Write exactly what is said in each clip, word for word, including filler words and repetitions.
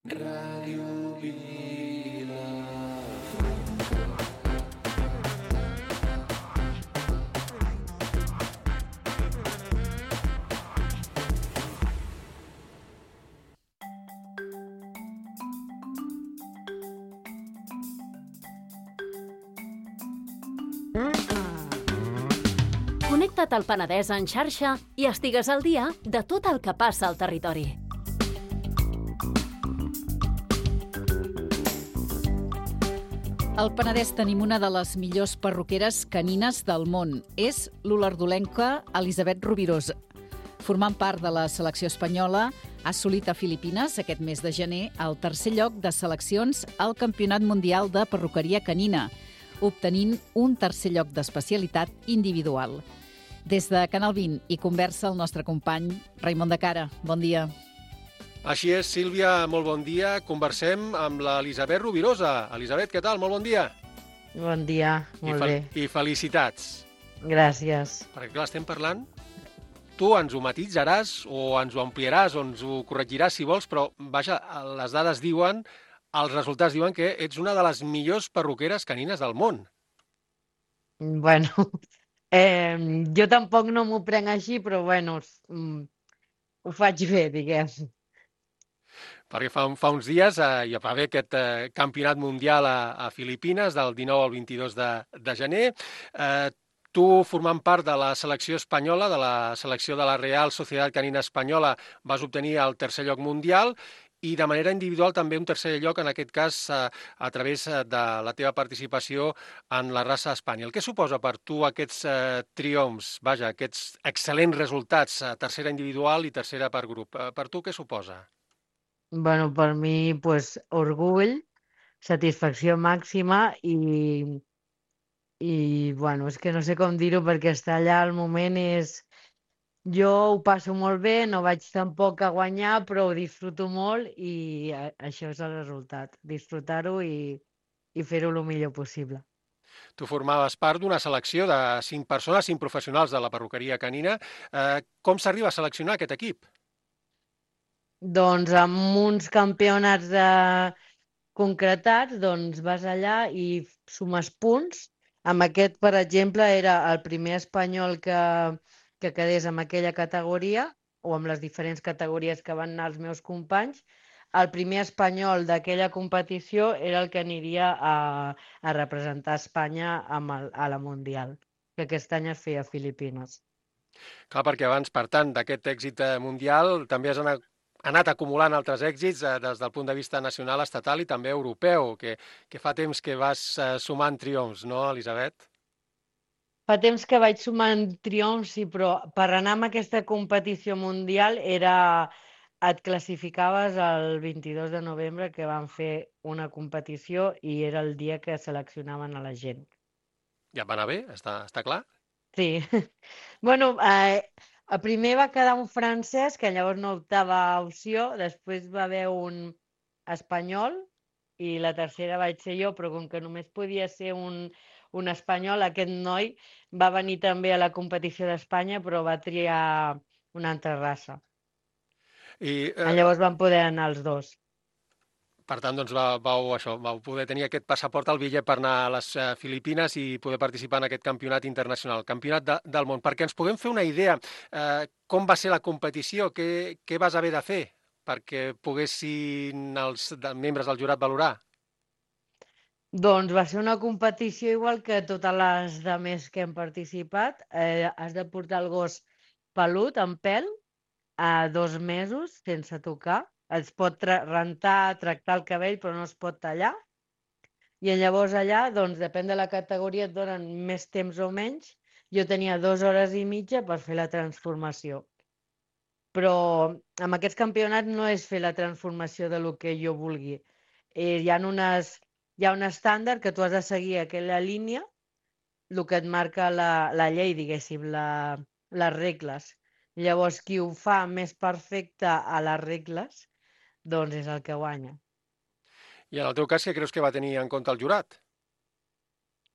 Ràdio Vila. Connecta't al Penedès en xarxa i estigues al dia de tot el que passa al territori. Al Penedès tenim una de les millors perruqueres canines del món. És l'olardolenca Elisabet Rovirós. Formant part de la selecció espanyola, ha assolit a Filipines aquest mes de gener el tercer lloc de seleccions al Campionat Mundial de Perruqueria Canina, obtenint un tercer lloc d'especialitat individual. Des de Canal vint hi conversa el nostre company Raimon de Cara. Bon dia. Així és, Sílvia, molt bon dia. Conversem amb l'Elisabet Rovirosa. Elisabet, què tal? Molt bon dia. Bon dia, molt I bé. I felicitats. Gràcies. Perquè, clar, estem parlant... Tu ens ho matitzaràs o ens ho ampliaràs o ens ho corregiràs si vols, però, vaja, les dades diuen, els resultats diuen que ets una de les millors perruqueres canines del món. Bueno, eh, jo tampoc no m'ho prenc així, però bueno, mm, ho faig bé, diguem. Perquè fa, fa uns dies eh, hi va haver aquest eh, campionat mundial a, a Filipines, del dinou al vint-i-dos de, de gener. Eh, tu, formant part de la selecció espanyola, de la selecció de la Real Societat Canina Espanyola, vas obtenir el tercer lloc mundial i de manera individual també un tercer lloc, en aquest cas a, a través de la teva participació en la raça Espanyol. Què suposa per tu aquests eh, triomfs, vaja, aquests excel·lents resultats, eh, tercera individual i tercera per grup? Eh, per tu què suposa? Bueno, per mi, pues, orgull, satisfacció màxima i, i bueno, és que no sé com dir-ho perquè estar allà al moment és... Jo ho passo molt bé, no vaig tampoc a guanyar, però ho disfruto molt i a, això és el resultat, disfrutar-ho i, i fer-ho el millor possible. Tu formaves part d'una selecció de cinc persones, cinc professionals de la perruqueria canina. Eh, com s'arriba a seleccionar aquest equip? Doncs amb uns campionats de... concretats, doncs vas allà i sumes punts. Amb aquest, per exemple, era el primer espanyol que, que quedés en aquella categoria, o amb les diferents categories que van anar els meus companys. El primer espanyol d'aquella competició era el que aniria a, a representar Espanya amb el, a la Mundial, que aquest any es feia a Filipines. Clar, perquè abans, per tant, d'aquest èxit eh, mundial, també has anat, anat acumulant altres èxits eh, des del punt de vista nacional, estatal i també europeu, que, que fa temps que vas eh, sumant triomfs, no, Elisabet? Fa temps que vaig sumant triomfs, sí, però per anar amb aquesta competició mundial era... et classificaves el vint-i-dos de novembre, que van fer una competició i era el dia que seleccionaven a la gent. Ja et va anar bé, està, està clar? Sí. Bueno, eh, el primer va quedar un francès, que llavors no optava a opció, després va haver un espanyol i la tercera vaig ser jo, però com que només podia ser un, un espanyol, aquest noi va venir també a la competició d'Espanya, però va triar una altra raça. I, eh, Llavors van poder anar els dos. per tant, doncs, va, vau, això, vau poder tenir aquest passaport, el bitllet per anar a les eh, Filipines i poder participar en aquest campionat internacional, el campionat de, del món. Perquè ens puguem fer una idea, eh, com va ser la competició, què, què vas haver de fer perquè poguessin els de, membres del jurat valorar? Doncs va ser una competició igual que totes les de més que hem participat. Eh, has de portar el gos pelut, amb pèl, a dos mesos, sense tocar. Es pot tra rentar, tractar el cabell, però no es pot tallar. I llavors allà, doncs, depèn de la categoria, et donen més temps o menys. Jo tenia dues hores i mitja per fer la transformació. Però amb aquests campionats no és fer la transformació de lo que jo vulgui. Eh, hi ha unes... Hi ha un estàndard que tu has de seguir aquella línia, el que et marca la, la llei, diguéssim, la, les regles. Llavors, qui ho fa més perfecte a les regles, doncs és el que guanya. I en el teu cas, què creus que va tenir en compte el jurat?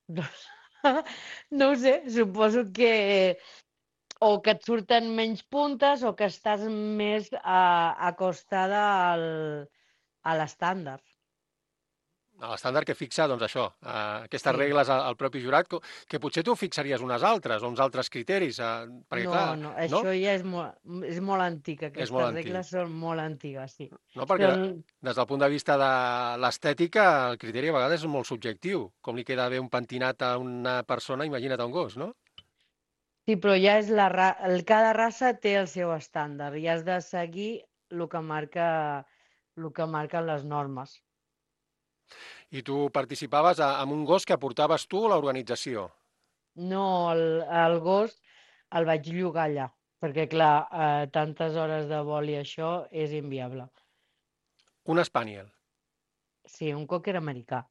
No ho sé, suposo que o que et surten menys puntes o que estàs més a, acostada al, a l'estàndard. A l'estàndard que fixa, doncs això, eh, aquestes Sí. regles al, al propi jurat, co- que potser tu fixaries unes altres, o uns altres criteris, eh, perquè No, clar, no, no? això ja és molt, és molt antic, És aquestes molt antic. regles són molt antigues, sí. No, perquè Són, des del punt de vista de l'estètica, el criteri a vegades és molt subjectiu. Com li queda bé un pentinat a una persona, imagina't a un gos, no? sí, però ja és la ra... el, cada raça té el seu estàndard i has de seguir el que marca, el que marquen les normes. I tu participaves a, amb un gos que aportaves tu a l'organització. No, el, el gos el vaig llogar allà, perquè clar, eh, tantes hores de vol i això és inviable. Un Spaniel. Sí, un cocker americà.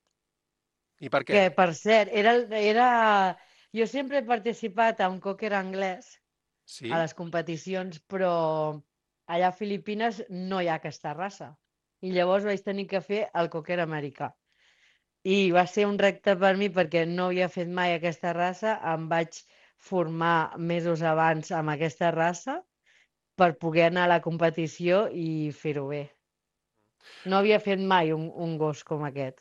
I per què? Que, per cert, era, el- era... jo sempre he participat en cocker anglès Sí? a les competicions, però allà a Filipines no hi ha aquesta raça. I llavors vaig tenir que fer el cocker americà. I va ser un repte per mi perquè no havia fet mai aquesta raça, em vaig formar mesos abans amb aquesta raça per poder anar a la competició i fer-ho bé. No havia fet mai un, un gos com aquest.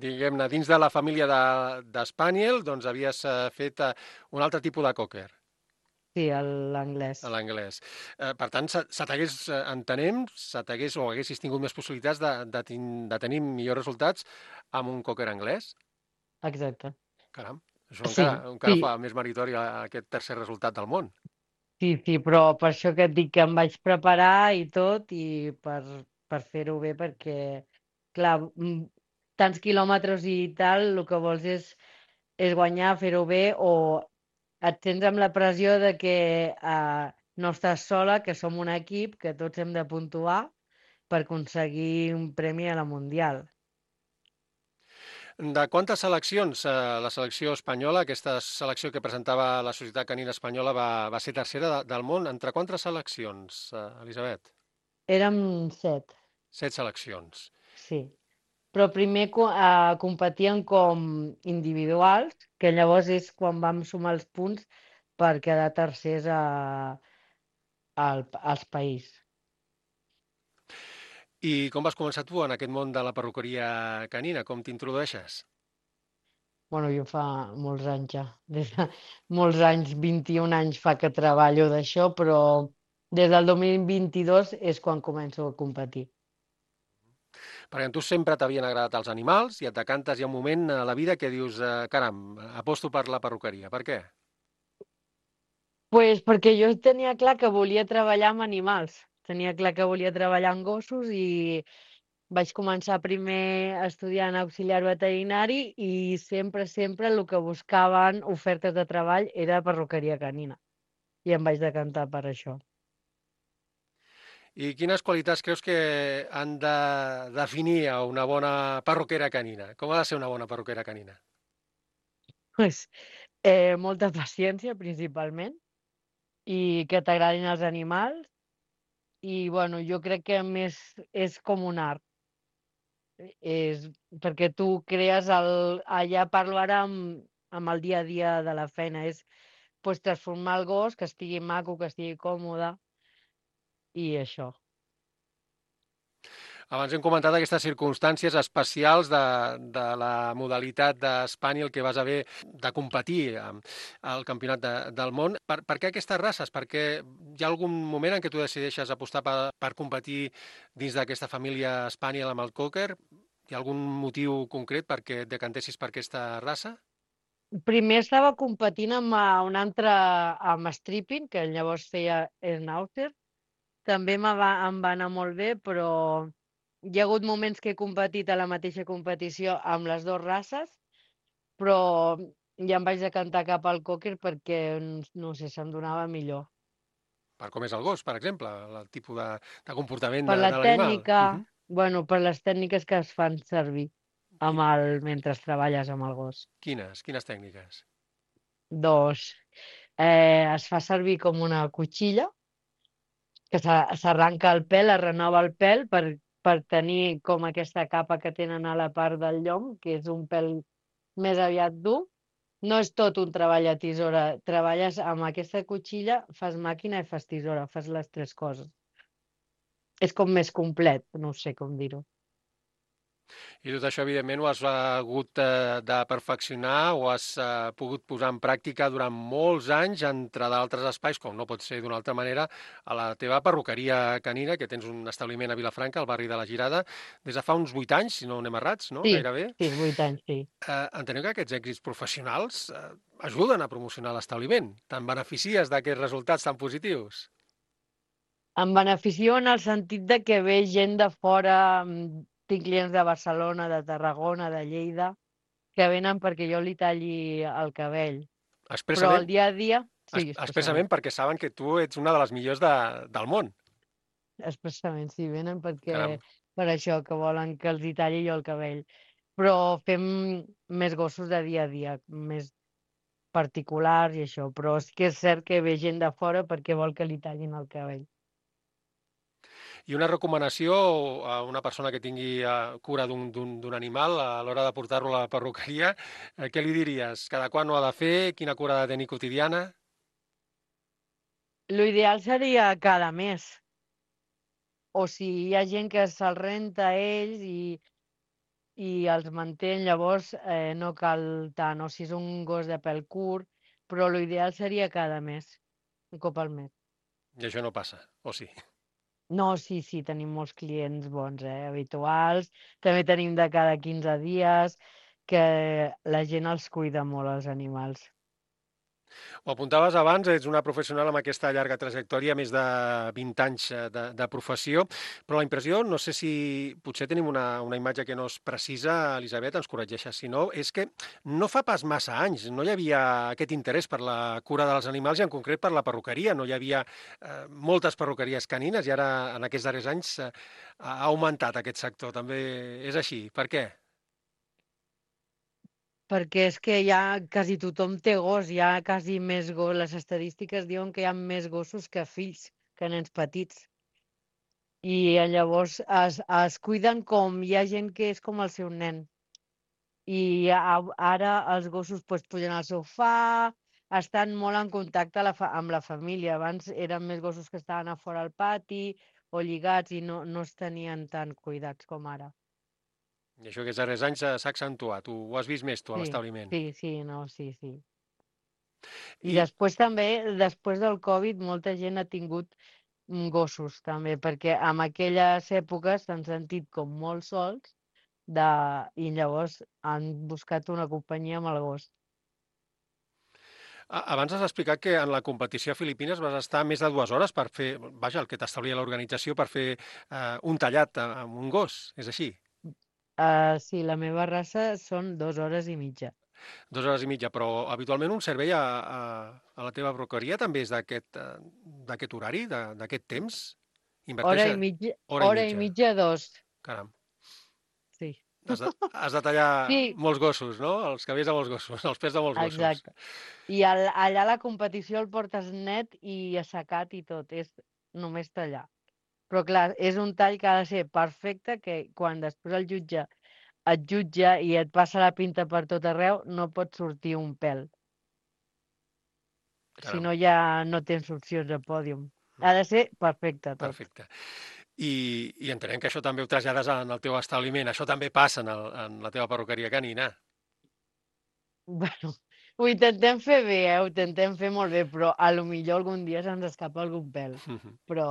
Diguem-ne, dins de la família de, de Spaniel, doncs havies eh, fet eh, un altre tipus de cocker, Sí, el- l'anglès. a l'anglès. Eh, per tant, se, se t'hagués, eh, entenem, se t'hagués o haguessis tingut més possibilitats de, de, tin- de tenir millors resultats amb un cocker anglès? Exacte. Caram, això Sí, encara, encara sí, fa més meritori a- aquest tercer resultat del món. sí, sí, però per això que et dic que em vaig preparar i tot i per, per fer-ho bé perquè, clar, mm, tants quilòmetres i tal, el que vols és, és guanyar, fer-ho bé o et tens amb la pressió de que eh, no estàs sola, que som un equip, que tots hem de puntuar per aconseguir un premi a la Mundial. De quantes seleccions? Eh, la selecció espanyola, aquesta selecció que presentava la Societat Canina Espanyola, va, va ser tercera de, del món. Entre quantes seleccions, eh, Elisabet? Érem set, Set seleccions. sí. Però primer co- eh, competien com individuals, que llavors és quan vam sumar els punts per quedar tercers a, al, als país. I com vas començar tu en aquest món de la perruqueria canina? Com t'introdueixes? Bueno, jo fa molts anys ja, des de molts anys, vint-i-un anys fa que treballo d'això, però des del dos mil vint-i-dos és quan començo a competir. Perquè a tu sempre t'havien agradat els animals i et decantes hi ha un moment a la vida que dius, eh, caram, aposto per la perruqueria. Per què? Pues perquè jo tenia clar que volia treballar amb animals. Tenia clar que volia treballar amb gossos i vaig començar primer estudiant auxiliar veterinari i sempre, sempre el que buscaven ofertes de treball era perruqueria canina. I em vaig decantar per això. I quines qualitats creus que han de definir a una bona perruquera canina? Com ha de ser una bona perruquera canina? Pues, eh, molta paciència, principalment, i que t'agradin els animals. I, bueno, jo crec que més és com un art. És perquè tu crees el... Allà parlo ara amb, amb el dia a dia de la feina. És pues, transformar el gos, que estigui maco, que estigui còmode, i això. Abans hem comentat aquestes circumstàncies especials de, de la modalitat d'Espanyol que vas haver de competir am- al Campionat de, del món. Per, per què aquestes races? Perquè hi ha algun moment en què tu decideixes apostar per, per competir dins d'aquesta família Spaniel amb el Cocker? Hi ha algun motiu concret perquè et decantessis per aquesta raça? Primer estava competint amb eh, un altre, amb stripping, que llavors feia Schnauzer. També me va, em va anar molt bé, però hi ha hagut moments que he competit a la mateixa competició amb les dues races, però ja em vaig decantar cap al cocker perquè, no sé, se'm donava millor. Per com és el gos, per exemple, el tipus de, de comportament Per de, la de l'animal. tècnica, Uh -huh. bueno, per les tècniques que es fan servir amb el, mentre treballes amb el gos. Quines? Quines tècniques? Doncs eh, es fa servir com una cuchilla, que s'a- s'arranca el pèl, es renova el pèl per, per tenir com aquesta capa que tenen a la part del llom, que és un pèl més aviat dur. No és tot un treball a tisora. Treballes amb aquesta cuchilla, fas màquina i fas tisora, fas les tres coses. És com més complet, no sé com dir-ho. I tot això, evidentment, ho has hagut eh, de perfeccionar, o has eh, pogut posar en pràctica durant molts anys, entre d'altres espais, com no pot ser d'una altra manera, a la teva perruqueria canina, que tens un establiment a Vilafranca, al barri de la Girada, des de fa uns vuit anys, si no anem errats, no? Sí, Gairebé. sí, vuit anys, sí. Eh, enteneu que aquests èxits professionals eh, ajuden a promocionar l'establiment. Te'n beneficies d'aquests resultats tan positius? Em beneficio en el sentit de que ve gent de fora, mm, tinc clients de Barcelona, de Tarragona, de Lleida, que venen perquè jo li talli el cabell. Però Expressament, el dia a dia, es, sí, expressament, expressament perquè saben que tu ets una de les millors de, del món. expressament, sí, venen perquè, Caram. per això, que volen que els hi talli jo el cabell. Però fem més gossos de dia a dia, més particulars i això, però sí que és cert que ve gent de fora perquè vol que li tallin el cabell. I una recomanació a una persona que tingui eh, cura d'un d'un- d'un animal a l'hora de portar-lo a la perruqueria, eh, què li diries? Cada quan ho ha de fer? Quina cura ha de tenir quotidiana? L'ideal seria cada mes, o si hi ha gent que se'l renta a ells i, i els manté, llavors eh, no cal tant, o si és un gos de pèl curt, però l'ideal seria cada mes, un cop al mes. I això no passa, o sí? No, sí, sí, tenim molts clients bons, eh, habituals. També tenim de cada quinze dies, que la gent els cuida molt, els animals. Ho apuntaves abans, ets una professional amb aquesta llarga trajectòria, més de vint anys eh, de, de professió, però la impressió, no sé si potser tenim una, una imatge que no és precisa, Elisabet, ens corregeixes si no, és que no fa pas massa anys, no hi havia aquest interès per la cura dels animals i en concret per la perruqueria, no hi havia eh, moltes perruqueries canines i ara en aquests darrers anys eh, ha augmentat aquest sector, també és així. Per què? Perquè és que ja quasi tothom té gos, hi ha quasi més gos. Les estadístiques diuen que hi ha més gossos que fills, que nens petits. I eh, llavors es, es cuiden com hi ha gent que és com el seu nen. I a- ara els gossos pues, pugen al sofà, estan molt en contacte la fa amb la família. Abans eren més gossos que estaven a fora al pati o lligats i no, no es tenien tan cuidats com ara. I això aquests darrers anys eh, s'ha accentuat, ho, ho has vist més tu a Sí, l'establiment. sí, sí, no, sí, sí. I I, després també, després del Covid, molta gent ha tingut mm, gossos també, perquè en aquelles èpoques s'han sentit com molt sols de... i llavors han buscat una companyia amb el gos. A- Abans has explicat que en la competició a Filipines vas estar més de dues hores per fer, vaja, el que t'establia l'organització per fer eh, un tallat a- amb un gos, és així? Uh, sí, la meva raça són dues hores i mitja. Dues hores i mitja, però habitualment un servei a, a, a la teva broqueria també és d'aquest eh, d'aquest horari, de- d'aquest temps? Hora Inverteix i mitja, hora i hora i mitja, mitja, dos. caram. Sí, Has de, has de tallar sí, molts gossos, no? Els cabells de molts gossos, els pèls de molts gossos. exacte. I al, allà la competició el portes net i assecat i tot, és només tallar. Però clar, és un tall que ha de ser perfecte, que quan després el jutge et jutja i et passa la pinta per tot arreu, no pot sortir un pèl. Si Caram, no, ja no tens opcions de pòdium. Ha de ser perfecte tot. perfecte. I, i entenem que això també ho trasllades en el teu establiment. Això també passa en, el, en la teva perruqueria canina. Bueno, ho intentem fer bé, eh? Ho intentem fer molt bé, però a lo millor algun dia se'ns escapa algun pèl. Però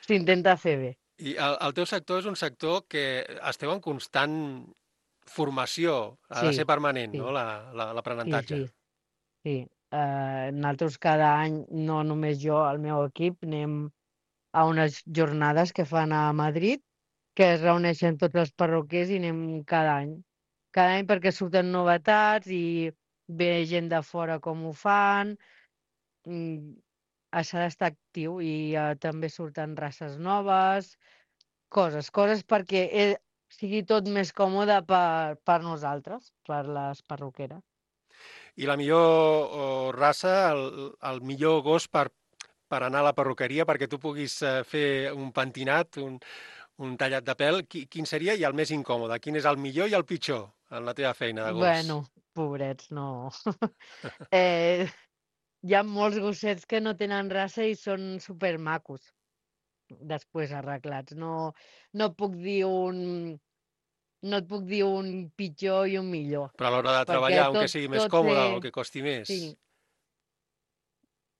s'intenta fer bé. I el, el teu sector és un sector que esteu en constant formació, ha de Sí, ser permanent, sí, no?, la- la- sí, l'aprenentatge. sí, sí. Uh, nosaltres cada any, no només jo, el meu equip, anem a unes jornades que fan a Madrid, que es reuneixen tots els perruquers i anem cada any. Cada any perquè surten novetats i ve gent de fora com ho fan. Mm, s'ha d'estar actiu i eh, també surten races noves, coses, coses perquè eh, sigui tot més còmode per, per nosaltres, per les perruqueres. I la millor oh, raça, el, el millor gos per, per anar a la perruqueria perquè tu puguis eh, fer un pentinat, un, un tallat de pèl, qui, quin seria? I el més incòmode, quin és el millor i el pitjor en la teva feina de gos? Bueno, pobrets, no. eh, hi ha molts gossets que no tenen raça i són supermacos, després arreglats. No, no puc dir un, no et puc dir un pitjor i un millor. Però a l'hora de Perquè treballar, un que tot, sigui més tot còmode té... o que costi més. Sí.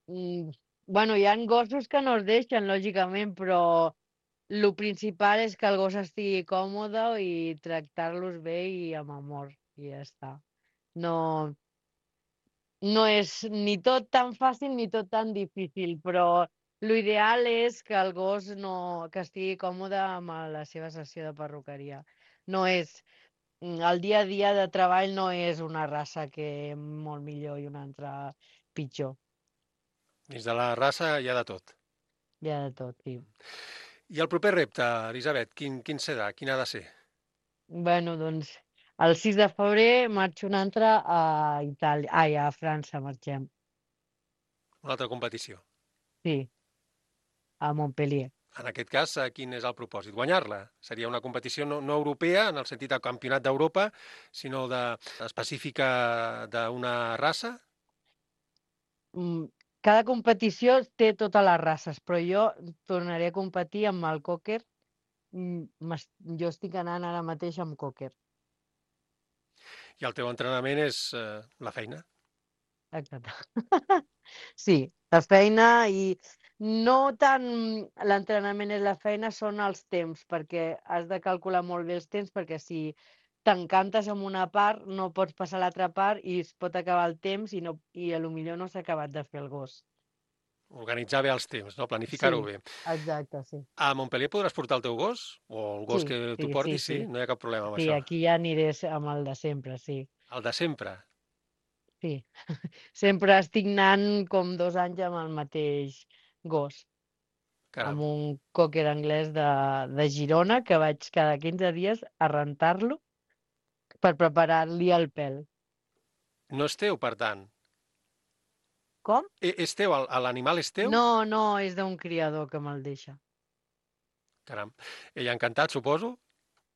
Mm, bueno, hi ha gossos que no es deixen, lògicament, però el principal és que el gos estigui còmode i tractar-los bé i amb amor, i ja està. No, no és ni tot tan fàcil ni tot tan difícil, però l'ideal és que el gos no, que estigui còmode amb la seva sessió de perruqueria. No és, el dia a dia de treball no és una raça que molt millor i una altra pitjor. Dins de la raça hi ha de tot. Hi ha de tot, sí. I el proper repte, Elisabet, quin, quin serà? Quin ha de ser? Bueno, doncs, el sis de febrer marxo un altre a Itàlia. Ai, a França marxem. Una altra competició. Sí, a Montpellier. En aquest cas, eh, quin és el propòsit? Guanyar-la? Seria una competició no, no europea, en el sentit de campionat d'Europa, sinó de, específica d'una raça? Mm, Cada competició té totes les races, però jo tornaré a competir amb el cocker. Mm, m'es- Jo estic anant ara mateix amb cocker. I el teu entrenament és eh, la feina? Exacte. Sí, la feina i no tant l'entrenament és la feina, són els temps, perquè has de calcular molt bé els temps, perquè si t'encantes amb una part, no pots passar a l'altra part i es pot acabar el temps i, no, i a lo millor no s'ha acabat de fer el gos. Organitzar bé els temps, no? Planificar-ho Sí, bé. exacte, sí. A Montpellier podràs portar el teu gos? O el gos Sí, que sí, tu sí, portis? Sí, sí. no hi ha cap problema amb Sí, això. aquí ja aniré amb el de sempre, sí. El de sempre? Sí. Sempre estic anant com dos anys amb el mateix gos. Caram. Amb un cocker anglès de, de Girona, que vaig cada quinze dies a rentar-lo per preparar-li el pèl. No és teu, per tant? Com? E- És teu? El- L'animal és teu? No, no, és d'un criador que me'l deixa. Caram. Ell encantat, suposo?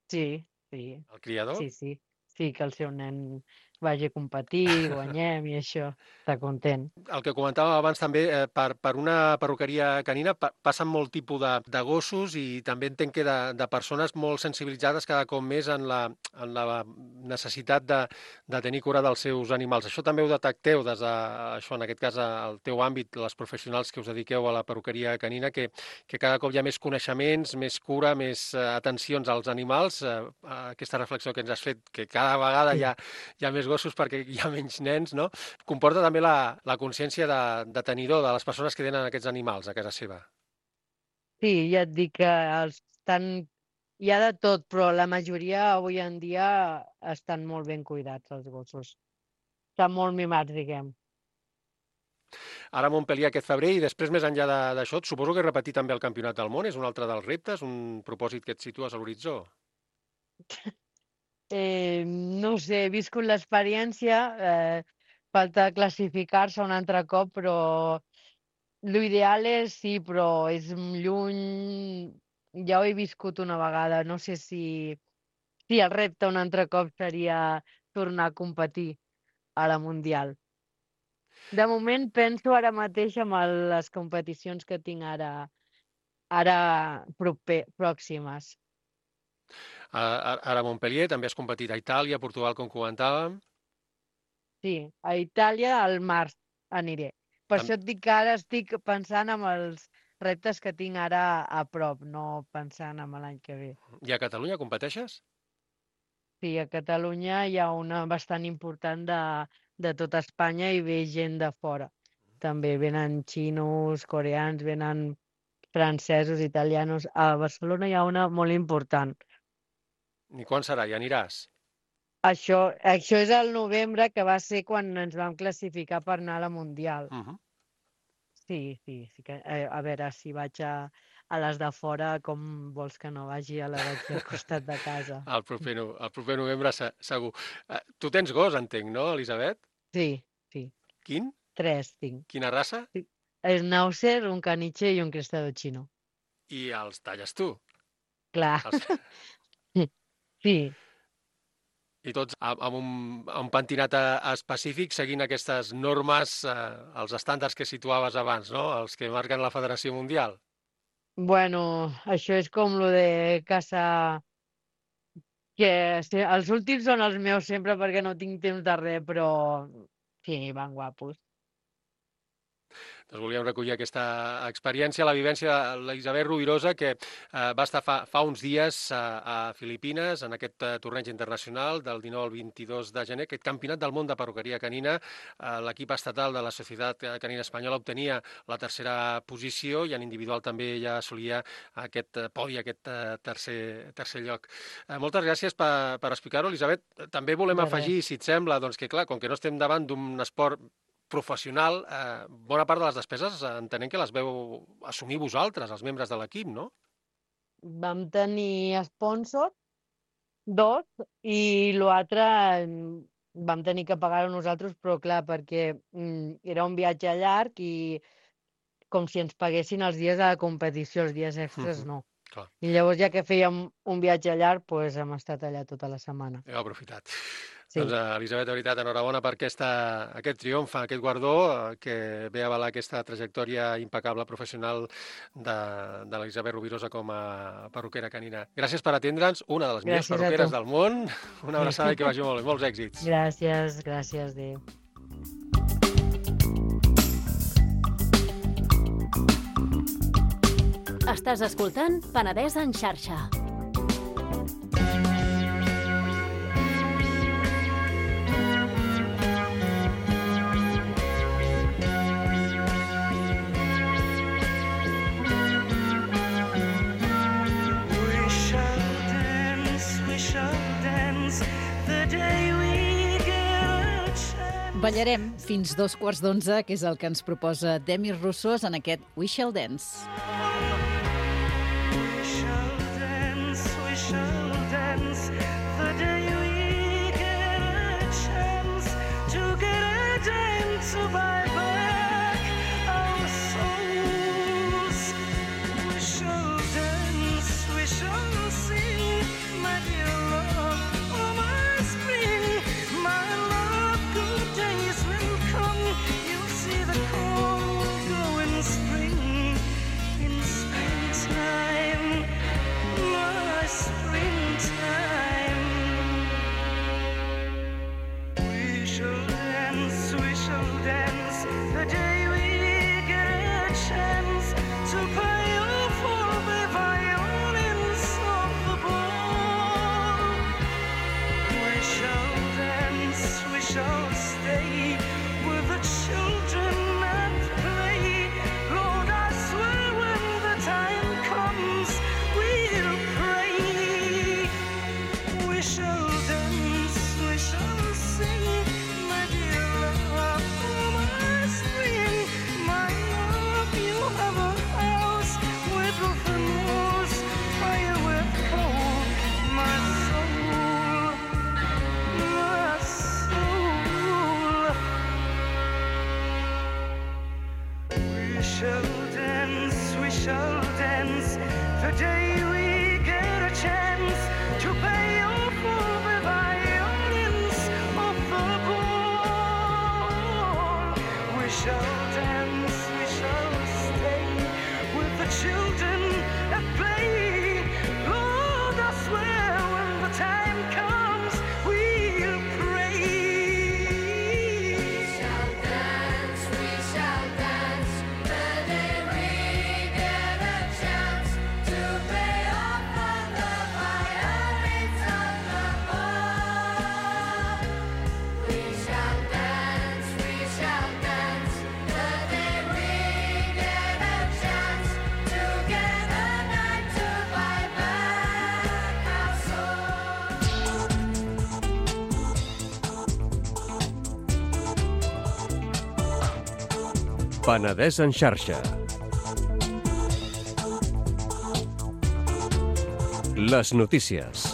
Sí, sí, El criador? sí, sí. Sí, que el seu nen vagi a competir, guanyem i això. Està content. El que comentàvem abans també, eh, per, per una perruqueria canina pa, passen molt tipus de, de gossos i també entenc que de, de persones molt sensibilitzades cada cop més en la, en la necessitat de, de tenir cura dels seus animals. Això també ho detecteu des de, això, en aquest cas, al teu àmbit, les professionals que us dediqueu a la perruqueria canina, que, que cada cop hi ha més coneixements, més cura, més eh, atencions als animals. Eh, aquesta reflexió que ens has fet, que cada vegada hi ha, hi ha més gossos perquè hi ha menys nens, no? Comporta també la, la consciència de, de tenidor de les persones que tenen aquests animals a casa seva. Sí, ja et dic que els estan... hi ha de tot, però la majoria avui en dia estan molt ben cuidats, els gossos. Estan molt mimats, diguem. Ara a Montpellier aquest febrer i després més enllà de- d'això, suposo que repetir també el Campionat del Món és un altre dels reptes, un propòsit que et situes a l'horitzó. Eh, no sé, he viscut l'experiència, eh, falta classificar-se un altre cop, però l'ideal és sí, però és lluny, ja ho he viscut una vegada, no sé si, si el repte un altre cop seria tornar a competir a la Mundial. De moment penso ara mateix amb el, les competicions que tinc ara, ara proper, pròximes. A- a- Ara a Montpellier també has competit a Itàlia, a Portugal, com comentàvem. Sí, a Itàlia al març aniré. Per Tam- això et dic que ara estic pensant en els reptes que tinc ara a prop, no pensant en l'any que ve. I a Catalunya competeixes? Sí, a Catalunya hi ha una bastant important de, de tota Espanya i ve gent de fora. També venen xinos, coreans, venen francesos, italianos. A Barcelona hi ha una molt important. I quan serà? Ja aniràs? Això, això és el novembre, que va ser quan ens vam classificar per anar a la Mundial. Uh -huh. Sí, sí, sí que, eh, a veure, si vaig a, a les de fora, com vols que no vagi a la d'aquí al costat de casa? El proper, no, el proper novembre se- segur. Uh, tu tens gos, entenc, no, Elisabet? Sí, sí, Quin? tres tinc. Quina raça? Schnauzer, un caniche i un cristado xino. I els talles tu. Clar, Els... sí, I tots amb amb un, amb un pentinat eh, específic, seguint aquestes normes, eh, els estàndards que situaves abans, no? Els que marquen la Federació Mundial. bueno, això és com lo de casa que sí, els últims són els meus sempre perquè no tinc temps de res, però sí, van guapos. Doncs volíem recollir aquesta experiència, la vivència de l'Elisabet Rovirosa, que eh, va estar fa, fa uns dies a, a Filipines, en aquest eh, torneig internacional del dinou al vint-i-dos de gener, aquest campionat del món de perruqueria canina. Eh, L'equip estatal de la Societat Canina Espanyola obtenia la tercera posició i en individual també ja assolia aquest podi, aquest eh, tercer, tercer lloc. Eh, moltes gràcies per, per explicar-ho, Elisabet. També volem De afegir, res. si et sembla, doncs que clar, com que no estem davant d'un esport professional, eh, bona part de les despeses eh, entenem que les veu assumir vosaltres, els membres de l'equip, no? Vam tenir sponsor, dos, i l'altre mm, vam tenir que pagar-ho nosaltres, però clar, perquè mm, era un viatge llarg i com si ens paguessin els dies de la competició, els dies extras no. Clar, I llavors, ja que fèiem un viatge llarg, doncs hem estat allà tota la setmana. heu aprofitat. Sí. Doncs, eh, Elisabet, de veritat, enhorabona per aquesta, aquest triomf, aquest guardó, eh, que ve a avalar aquesta trajectòria impecable professional de, de l'Elisabet Rovirosa com a perruquera canina. Gràcies per atendre'ns, una de les millors Gràcies a perruqueres tu. del món. Una abraçada i que vagi molt bé. Molts èxits. Gràcies, gràcies, adéu. Estàs escoltant Penedès en xarxa. We shall dance, we shall dance the day we get a chance. Ballarem fins dos quarts d'onze, que és el que ens proposa Demis Roussos en aquest We Shall Dance. We shall dance, we shall dance the day we get a chance to get a dime to buy back our souls. We shall dance, we shall sing, my dear love, oh my spring, my love, good days will come. You'll see the corn will grow in spring, in springtime, my springtime. We shall dance, we shall dance the day we get a chance to play off all the violins of the ball. We shall dance, we shall stay with the children at play. Lord, I swear when the time comes, we'll pray. We shall dance, we shall sing, my dear love, oh my spring, my love, you have a house with roof and walls, fire with coal, my soul, my soul. We shall dance, we shall dance the day we get a chance to pay off all the violins of the ball. We shall dance, we shall stay with the children at play. Lord, I swear when the time comes, we'll pray. Penedès en xarxa. Les notícies.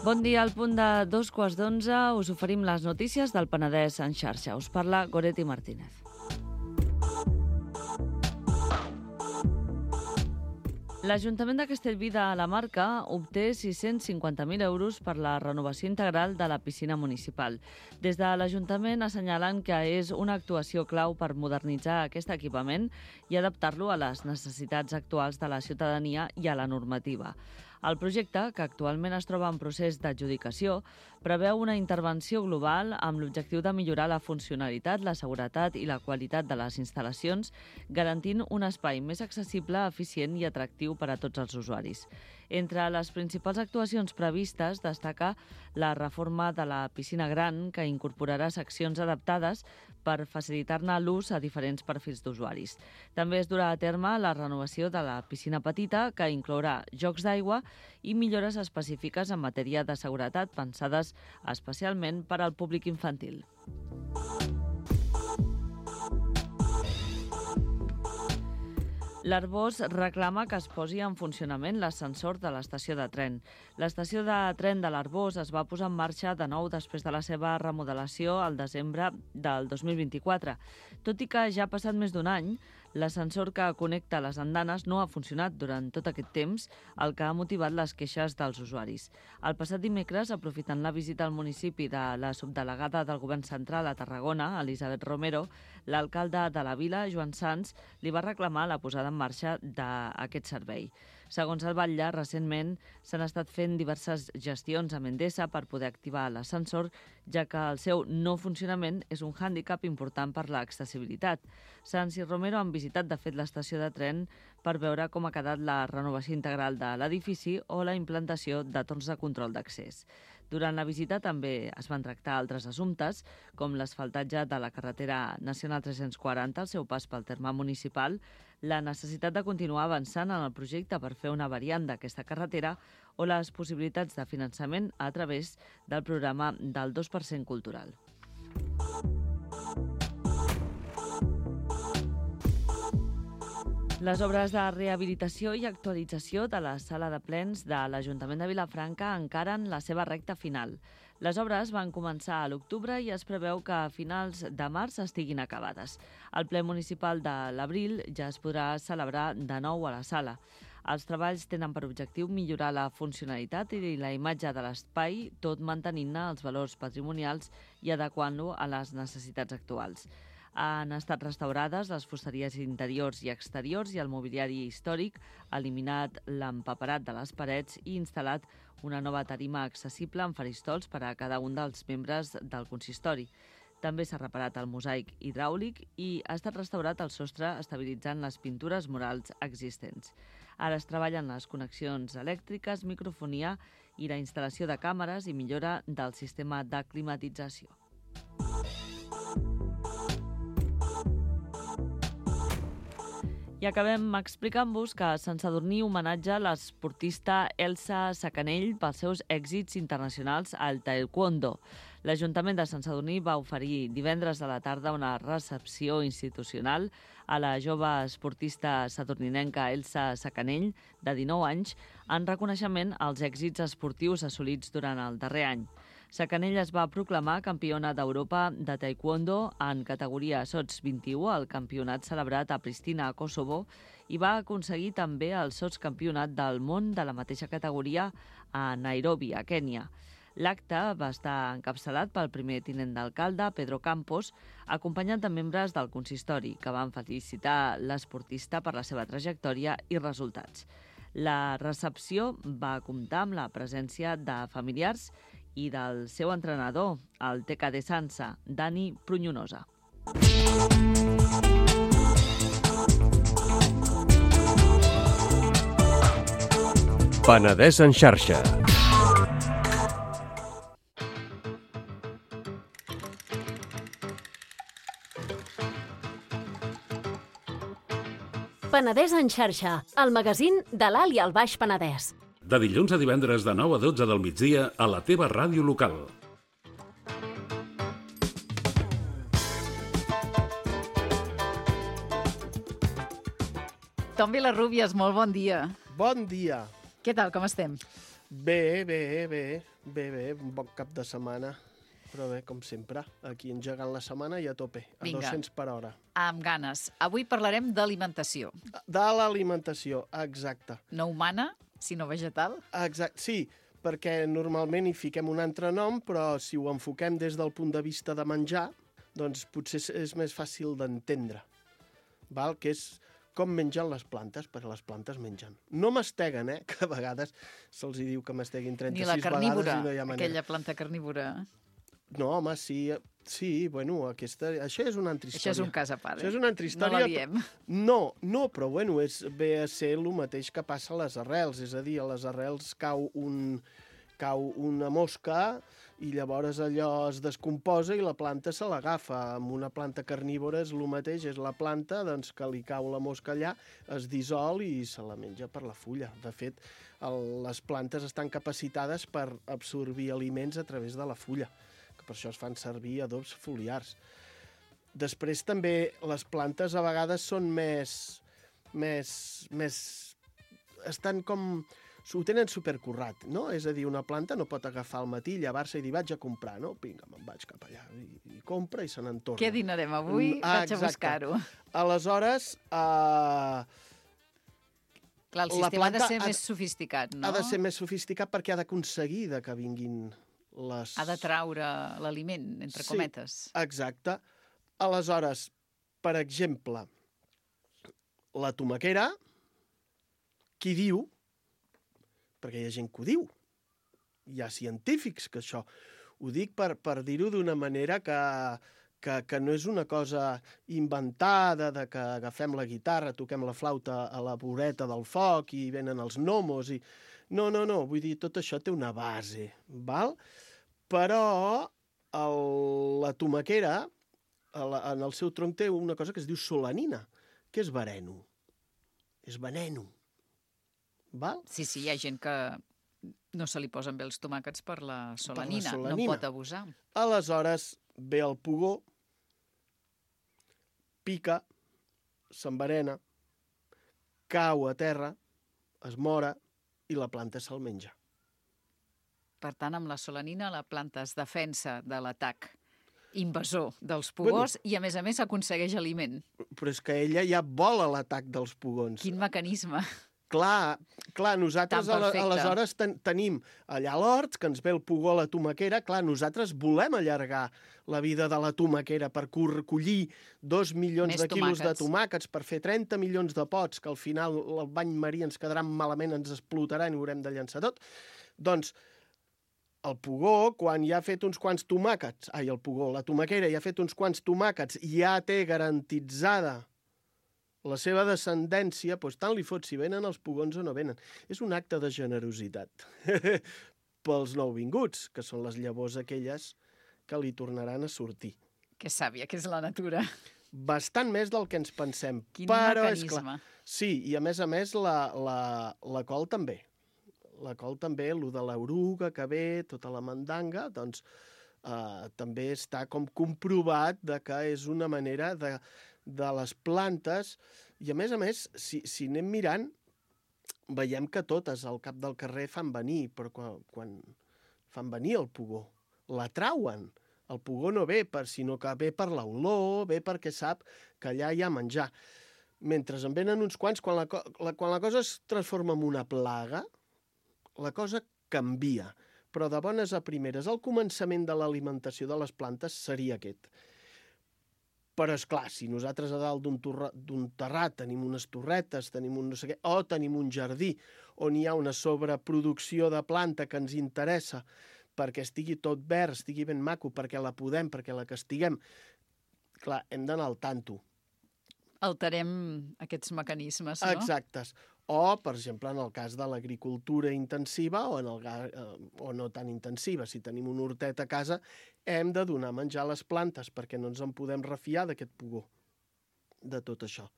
Bon dia, al punt de dos quarts d'onze us oferim les notícies del Penedès en xarxa. Us parla Goretti Martínez. L'Ajuntament de Castellví de la Marca obté sis-cents cinquanta mil euros per la renovació integral de la piscina municipal. Des de l'Ajuntament assenyalen que és una actuació clau per modernitzar aquest equipament i adaptar-lo a les necessitats actuals de la ciutadania i a la normativa. El projecte, que actualment es troba en procés d'adjudicació, preveu una intervenció global amb l'objectiu de millorar la funcionalitat, la seguretat i la qualitat de les instal·lacions, garantint un espai més accessible, eficient i atractiu per a tots els usuaris. Entre les principals actuacions previstes destaca la reforma de la piscina gran, que incorporarà seccions adaptades per facilitar-ne l'ús a diferents perfils d'usuaris. També es durà a terme la renovació de la piscina petita, que inclourà jocs d'aigua i millores específiques en matèria de seguretat pensades especialment per al públic infantil. L'Arbós reclama que es posi en funcionament l'ascensor de l'estació de tren. L'estació de tren de l'Arbós es va posar en marxa de nou després de la seva remodelació al desembre del dos mil vint-i-quatre. Tot i que ja ha passat més d'un any, l'ascensor que connecta les andanes no ha funcionat durant tot aquest temps, el que ha motivat les queixes dels usuaris. El passat dimecres, aprofitant la visita al municipi de la subdelegada del Govern Central a Tarragona, Elisabet Romero, l'alcalde de la vila, Joan Sans, li va reclamar la posada en marxa d'aquest servei. Segons el batlle, recentment s'han estat fent diverses gestions amb Endesa per poder activar l'ascensor, ja que el seu no funcionament és un hàndicap important per l'accessibilitat. Sans i Romero han visitat, de fet, l'estació de tren per veure com ha quedat la renovació integral de l'edifici o la implantació de torns de control d'accés. Durant la visita també es van tractar altres assumptes, com l'asfaltatge de la carretera nacional tres-cents quaranta, el seu pas pel terme municipal, la necessitat de continuar avançant en el projecte per fer una variant d'aquesta carretera o les possibilitats de finançament a través del programa del dos per cent cultural. Les obres de rehabilitació i actualització de la sala de plens de l'Ajuntament de Vilafranca encaren la seva recta final. Les obres van començar a l'octubre i es preveu que a finals de març estiguin acabades. El ple municipal de l'abril ja es podrà celebrar de nou a la sala. Els treballs tenen per objectiu millorar la funcionalitat i la imatge de l'espai, tot mantenint-ne els valors patrimonials i adequant-lo a les necessitats actuals. Han estat restaurades les fusteries interiors i exteriors i el mobiliari històric, eliminat l'empaperat de les parets i instal·lat una nova tarima accessible amb faristols per a cada un dels membres del consistori. També s'ha reparat el mosaic hidràulic i ha estat restaurat el sostre estabilitzant les pintures murals existents. Ara es treballen les connexions elèctriques, microfonia i la instal·lació de càmeres i millora del sistema de climatització. I acabem explicant-vos que Sant Sadurní homenatja l'esportista Elsa Sacanell pels seus èxits internacionals al taekwondo. L'Ajuntament de Sant Sadurní va oferir divendres a la tarda una recepció institucional a la jove esportista sadurninenca Elsa Sacanell, de dinou anys, en reconeixement als èxits esportius assolits durant el darrer any. Sacanell es va proclamar campiona d'Europa de taekwondo en categoria sots vint-i-u al campionat celebrat a Pristina, a Kosovo, i va aconseguir també el sotscampionat del món de la mateixa categoria a Nairobi, a Kènia. L'acte va estar encapçalat pel primer tinent d'alcalde, Pedro Campos, acompanyat de membres del consistori, que van felicitar l'esportista per la seva trajectòria i resultats. La recepció va comptar amb la presència de familiars i del seu entrenador, el T K D Sansa, Dani Prunyonosa. Penedès en xarxa. Penedès en xarxa, el magazín de l'Alt i el Baix Penedès. De dilluns a divendres de nou a dotze del migdia a la teva ràdio local. Tom Vilarrubias, molt bon dia. Bon dia. Què tal, com estem? Bé, bé, bé, bé, bé, un bon cap de setmana. però bé, com sempre, aquí engegant la setmana i a tope, a Vinga. dos-cents per hora. Amb ganes. Avui parlarem d'alimentació. De l'alimentació, exacte. No humana, sinó vegetal. Exacte, sí, perquè normalment hi fiquem un altre nom, però si ho enfoquem des del punt de vista de menjar, doncs potser és més fàcil d'entendre, val? Que és com mengen les plantes, perquè les plantes mengen. No masteguen, eh? Que a vegades se'ls diu que masteguin Ni trenta-sis la carnívora, vegades i no hi ha manera. aquella planta carnívora. No, home, sí, sí, bueno, aquesta, això és una altra història. Això és un cas a part, eh? Això és una altra No història. la diem. No, no, però bueno, és, ve a ser el mateix que passa a les arrels, és a dir, a les arrels cau, un, cau una mosca i llavors allò es descomposa i la planta se l'agafa. Amb una planta carnívora és el mateix, és la planta doncs, que li cau la mosca allà, es dissol i se la menja per la fulla. De fet, el, les plantes estan capacitades per absorbir aliments a través de la fulla, que per això es fan servir adobs foliars. Després també les plantes a vegades són més... més, més estan com... ho tenen supercurrat, no? És a dir, una planta no pot agafar al matí, llevar-se i dir vaig a comprar, no? Vinga, me'n vaig cap allà i, i compra i se n'en torna. Què dinarem avui? Ah, Vaig a buscar-ho. Aleshores, eh, Clar, el la sistema ha de planta ser ha més de- sofisticat, no? ha de ser més sofisticat perquè ha d'aconseguir de que vinguin les... Ha de traure l'aliment, entre Sí. cometes. Exacte. Aleshores, per exemple, la tomaquera, qui diu, perquè hi ha gent que ho diu, hi ha científics que això, ho dic per, per dir-ho d'una manera que, que, que no és una cosa inventada, de que agafem la guitarra, toquem la flauta a la voreta del foc i venen els gnomos i... No, no, no, vull dir, tot això té una base, val? Però el, la tomaquera, a la, en el seu tronc té una cosa que es diu solanina, que és veneno. És veneno. Val? Sí, sí, hi ha gent que no se li posen bé els tomàquets per la solanina. solanina. No pot abusar. Aleshores ve el pugó, pica, s'enverena, cau a terra, es mora i la planta se'l menja. Per tant, amb la solanina la planta es defensa de l'atac invasor dels pugós bueno, i, a més a més, aconsegueix aliment. Però és que ella ja vola l'atac dels pugons. Quin mecanisme. Clar, clar, nosaltres Tan ala- perfecte. aleshores ten, tenim allà a l'hort, que ens ve el pugó a la tomaquera, clar, nosaltres volem allargar la vida de la tomaquera per cor- collir dos milions Més de quilos de tomàquets. tomàquets, per fer trenta milions de pots, que al final el bany marí ens quedarà malament, ens explotarà i ho haurem de llançar tot. Doncs el pugó, quan ja ha fet uns quants tomàquets, ai, el pugó, la tomaquera ja ha fet uns quants tomàquets, ja té garantitzada la seva descendència, doncs tant li fot si venen els pugons o no venen. És un acte de generositat pels nouvinguts, que són les llavors aquelles que li tornaran a sortir. Que sàvia, que és la natura. Bastant més del que ens pensem. Quin però mecanisme. És clar, sí, i a més a més la, la, la col també. La col també, el de l'oruga que ve, tota la mandanga, doncs eh, també està com comprovat de que és una manera de, de les plantes, i a més a més, si, si anem mirant, veiem que totes al cap del carrer fan venir, però quan, quan fan venir el pugó, la trauen. El pugó no ve, per, sinó que ve per l'olor, ve perquè sap que allà hi ha menjar. Mentre en venen uns quants, quan la, co- la, quan la cosa es transforma en una plaga, la cosa canvia. Però de bones a primeres, el començament de l'alimentació de les plantes seria aquest. Però, és clar, si nosaltres a dalt d'un torra- d'un terrat tenim unes torretes, tenim un no sé què, o tenim un jardí on hi ha una sobreproducció de planta que ens interessa perquè estigui tot verd, estigui ben maco, perquè la podem, perquè la castiguem, clar, hem d'anar al tanto. Alterem aquests mecanismes, no? Exactes. O, per exemple, en el cas de l'agricultura intensiva o, en el, ga- eh, o no tan intensiva. Si tenim un hortet a casa, hem de donar menjar a les plantes perquè no ens en podem refiar d'aquest pugó, de tot això.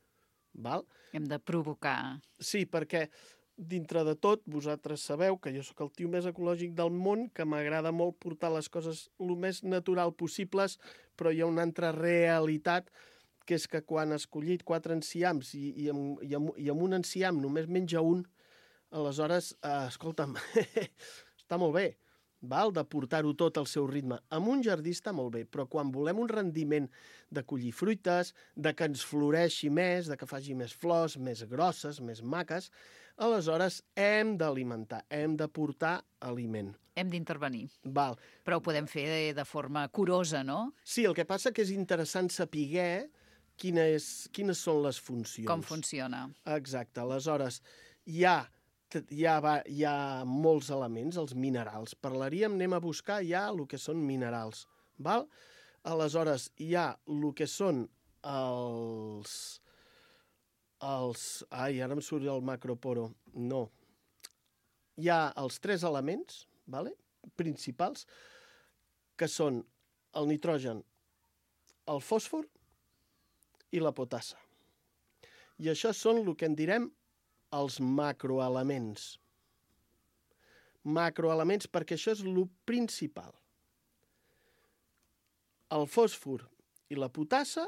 Val? Hem de provocar. Sí, perquè dintre de tot, vosaltres sabeu que jo sóc el tio més ecològic del món, que m'agrada molt portar les coses el més natural possibles, però hi ha una altra realitat, que és que quan has collit quatre enciams i, i, amb, i, amb, i amb un enciam només menja un, aleshores, eh, escolta'm, està molt bé, val? De portar-ho tot al seu ritme. Amb un jardí està molt bé, però quan volem un rendiment de collir fruites, de que ens floreixi més, de que faci més flors, més grosses, més maques, aleshores hem d'alimentar, hem de portar aliment. Hem d'intervenir. Val. Però ho podem fer de, de forma curosa, no? Sí, el que passa que és interessant saber quina és, quines són les funcions. Com funciona. Exacte. Aleshores, hi ha, hi ha, va, hi ha molts elements, els minerals. Parlaríem, anem a buscar ja el que són minerals. Val? Aleshores, hi ha el que són els... els ai, ara em surt el macroporo. No. Hi ha els tres elements, vale? Principals, que són el nitrogen, el fòsfor i la potassa. I això són el que en direm els macroelements. Macroelements perquè això és el principal. El fòsfor i la potassa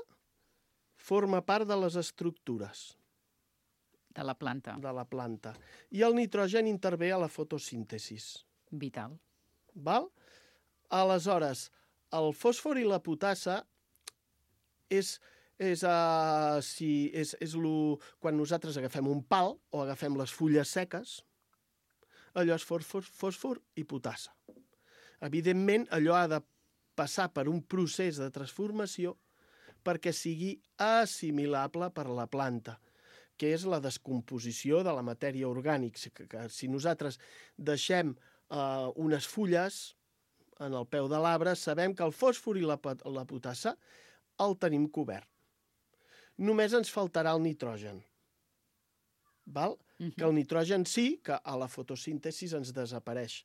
forma part de les estructures. De la planta. De la planta. I el nitrogen intervé a la fotosíntesis. Vital. Val? Aleshores, el fòsfor i la potassa és, és, uh, si, és, és lo, quan nosaltres agafem un pal o agafem les fulles seques, allò és fòsfor, fòsfor i potassa. Evidentment, allò ha de passar per un procés de transformació perquè sigui assimilable per la planta, que és la descomposició de la matèria orgànica. Que, que si nosaltres deixem uh, unes fulles en el peu de l'arbre, sabem que el fòsfor i la, la potassa el tenim cobert. Només ens faltarà el nitrogen. Val? Uh-huh. Que el nitrogen sí, que a la fotosíntesi ens desapareix.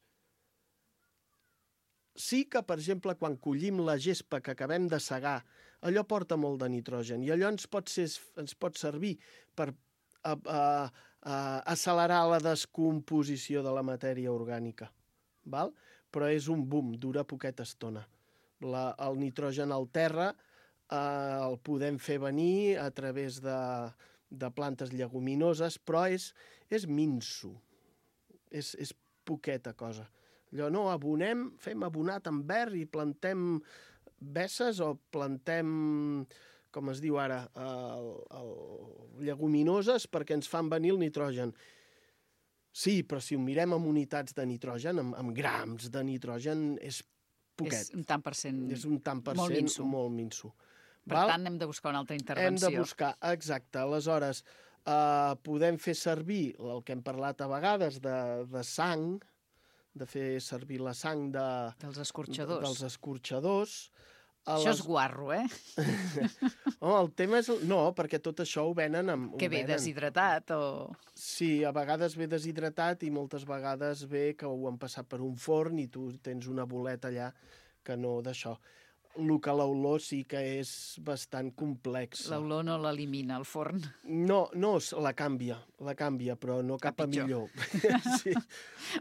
Sí que, per exemple, quan collim la gespa que acabem de segar, allò porta molt de nitrogen i allò ens pot, ser, ens pot servir per a, a, a accelerar la descomposició de la matèria orgànica. Val? Però és un boom, dura poqueta estona. La, el nitrogen al terra eh, el podem fer venir a través de, de plantes lleguminoses, però és, és minso, és, és poqueta cosa. Allò no, abonem, fem abonat en verd i plantem besses o plantem, com es diu ara, el, el, lleguminoses perquè ens fan venir el nitrogen. Sí, però si ho mirem amb unitats de nitrogen, amb, amb grams de nitrogen, és poquet. És un tant per cent, és un tant per molt cent minso. Molt minso. Per Val? tant, hem de buscar una altra intervenció. Hem de buscar, exacte. Aleshores, eh, podem fer servir el que hem parlat a vegades de, de sang, de fer servir la sang de, dels escorxadors. dels escorxadors. Això les... és guarro, eh? Oh, el tema és... No, perquè tot això ho venen amb... Que ve venen. deshidratat o... Sí, a vegades ve deshidratat i moltes vegades ve que ho han passat per un forn i tu tens una boleta allà que no d'això. El que l'olor sí que és bastant complex. L'olor no l'elimina, el forn. No, no, la canvia, la canvia, però no cap a, a millor. Sí.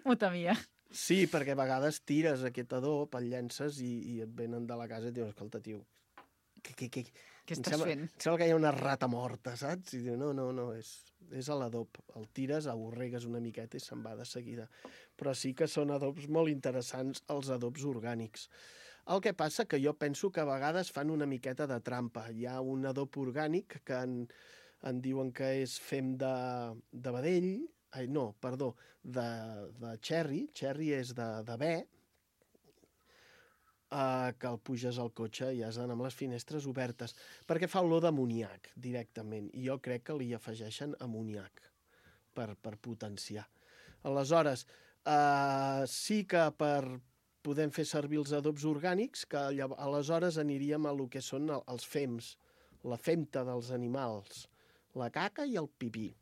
Ho temia. Sí, perquè a vegades tires aquest adob, el llences i, i et venen de la casa i et diuen, escolta, tio, què, què, què, què estàs sembla, fent? Em sembla que hi ha una rata morta, saps? I diu, no, no, no, és, és l'adob. El tires, aborregues una miqueta i se'n va de seguida. Però sí que són adobs molt interessants, els adobs orgànics. El que passa que jo penso que a vegades fan una miqueta de trampa. Hi ha un adob orgànic que en, en diuen que és fem de, de vedell, ai, no, perdó, de, de cherry, cherry és de, de bé, eh, que el puges al cotxe i has d'anar amb les finestres obertes, perquè fa olor d'amoníac directament, i jo crec que li afegeixen amoníac per, per potenciar. Aleshores, eh, sí que per podem fer servir els adobs orgànics, que aleshores aniríem a lo que són els fems, la femta dels animals, la caca i el pipí.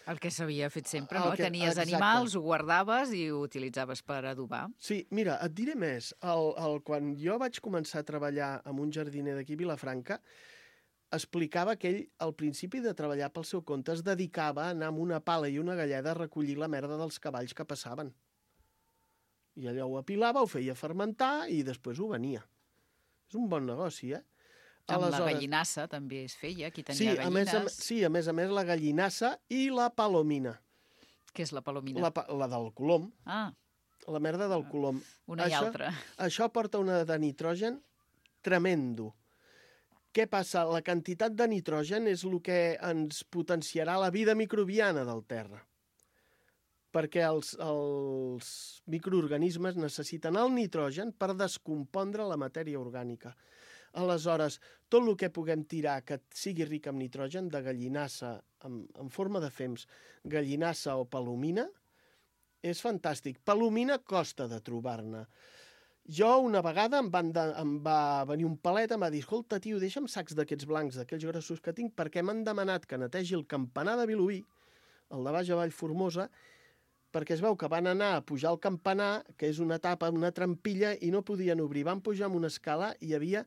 El que s'havia fet sempre, no? Que, Tenies exacte. animals, ho guardaves i ho utilitzaves per adobar. Sí, mira, et diré més. El, el, quan jo vaig començar a treballar amb un jardiner d'aquí a Vilafranca, explicava que ell, al principi de treballar pel seu compte, es dedicava a anar amb una pala i una galleda a recollir la merda dels cavalls que passaven. I allò ho apilava, ho feia fermentar i després ho venia. És un bon negoci, eh? Amb Aleshores... la gallinassa també es feia, qui tenia sí, gallines. A més, a, sí, a més a més la gallinassa i la palomina. Què és la palomina? La, la del colom. Ah. la merda del colom. Una i això, altra. Això porta una de nitrogen tremendo. Què passa? La quantitat de nitrogen és el que ens potenciarà la vida microbiana del terra. Perquè els, els microorganismes necessiten el nitrogen per descompondre la matèria orgànica. Aleshores, tot el que puguem tirar que sigui ric en nitrogen, de gallinassa en, en forma de fems, gallinassa o palomina, és fantàstic. Palomina costa de trobar-ne. Jo una vegada em, van de, em va venir un palet, em va dir, escolta, tio, deixa'm sacs d'aquests blancs, d'aquells grossos que tinc, perquè m'han demanat que netegi el campanar de Vilobí, el de baix a Vallformosa, perquè es veu que van anar a pujar al campanar, que és una tapa, una trampilla, i no podien obrir. Van pujar amb una escala i hi havia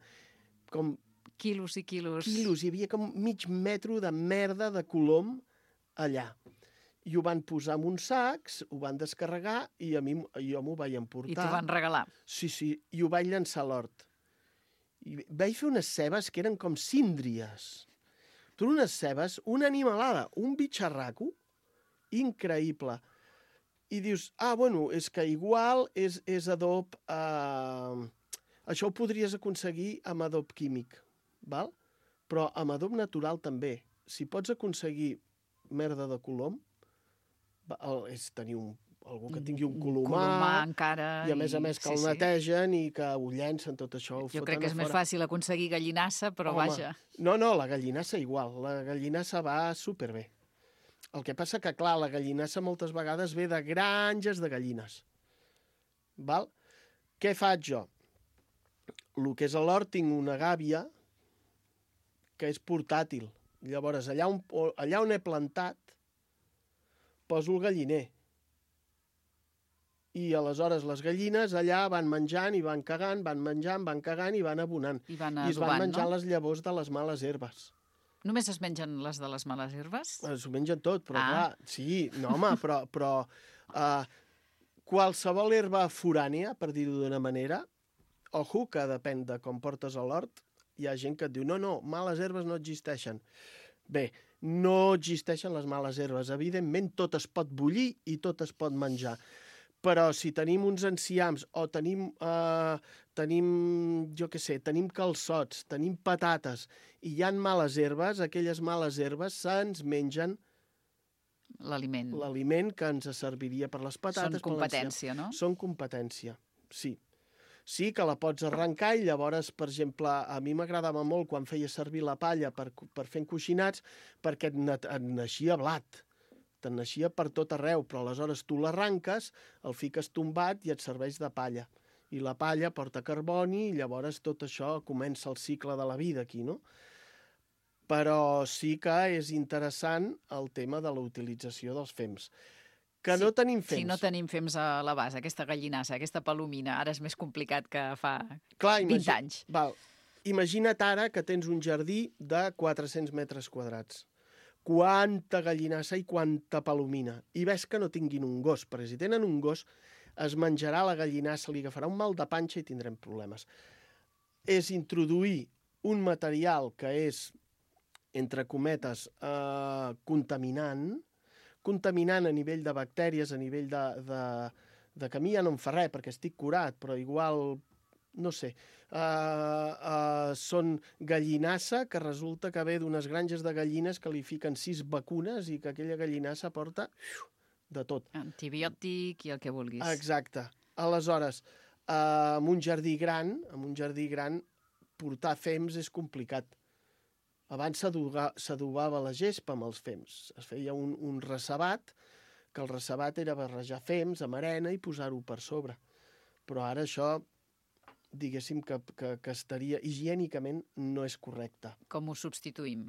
com... Quilos i quilos. Quilos, hi havia com mig metro de merda de colom allà. I ho van posar en uns sacs, ho van descarregar i a mi, jo m'ho vaig emportar. I t'ho van regalar. Sí, sí, i ho vaig llançar a l'hort. I vaig fer unes cebes que eren com síndries. Tu unes cebes, una animalada, un bitxarraco increïble. I dius, ah, bueno, és que igual és, és adob... Eh... Això ho podries aconseguir amb adob químic, val? Però amb adob natural també. Si pots aconseguir merda de colom, és tenir un, algú que tingui un colomar, un colomar encara, i a més a més que sí, el netegen i que ho llencen tot això. Ho jo crec que és més fàcil aconseguir gallinassa, però Home, vaja. No, no, la gallinassa igual. La gallinassa va superbé. El que passa que, clar, la gallinassa moltes vegades ve de granges de gallines. Val? Què faig jo? El que és a l'hort tinc una gàbia que és portàtil. Llavors, allà on, allà on he plantat, poso el galliner. I aleshores les gallines allà van menjant i van cagant, van menjant, van cagant i van abonant. I van I es van adobant, menjant no? les llavors de les males herbes. Només es mengen les de les males herbes? Es ho mengen tot, però Ah. clar, sí, no home, però, però uh, qualsevol herba forània, per dir-ho d'una manera, ojo, que depèn de com portes a l'hort, hi ha gent que et diu, no, no, males herbes no existeixen. Bé, no existeixen les males herbes. Evidentment, tot es pot bullir i tot es pot menjar. Però si tenim uns enciams o tenim, eh, tenim jo què sé, tenim calçots, tenim patates i hi ha males herbes, aquelles males herbes se'ns mengen l'aliment. L'aliment que ens serviria per les patates. Són competència, no? Són competència, sí. Sí que la pots arrencar i llavors, per exemple, a mi m'agradava molt quan feia servir la palla per, per fer encoixinats perquè et, et naixia blat. Te'n naixia per tot arreu, però aleshores tu l'arranques, el fiques tombat i et serveix de palla. I la palla porta carboni i llavors tot això comença el cicle de la vida aquí, no? Però sí que és interessant el tema de la utilització dels fems. Que sí, no tenim fems. Si no tenim fems a la base, aquesta gallinassa, aquesta palomina, ara és més complicat que fa Clar, vint imagi... anys. Val. Imagina't ara que tens un jardí de quatre-cents metres quadrats. Quanta gallinassa i quanta palomina. I ves que no tinguin un gos, perquè si tenen un gos es menjarà la gallinassa, li agafarà un mal de panxa i tindrem problemes. És introduir un material que és, entre cometes, eh, contaminant, contaminant a nivell de bactèries, a nivell de, de, de que a mi ja no em fa res perquè estic curat, però igual, no sé, uh, uh, són gallinassa que resulta que ve d'unes granges de gallines que li fiquen sis vacunes i que aquella gallinassa porta uf, de tot. Antibiòtic i el que vulguis. Exacte. Aleshores, uh, en un jardí gran, en un jardí gran, portar fems és complicat. Abans s'adobava la gespa amb els fems. Es feia un, un recebat, que el recebat era barrejar fems amb arena i posar-ho per sobre. Però ara això, diguéssim que, que, que estaria higiènicament no és correcte. Com ho substituïm?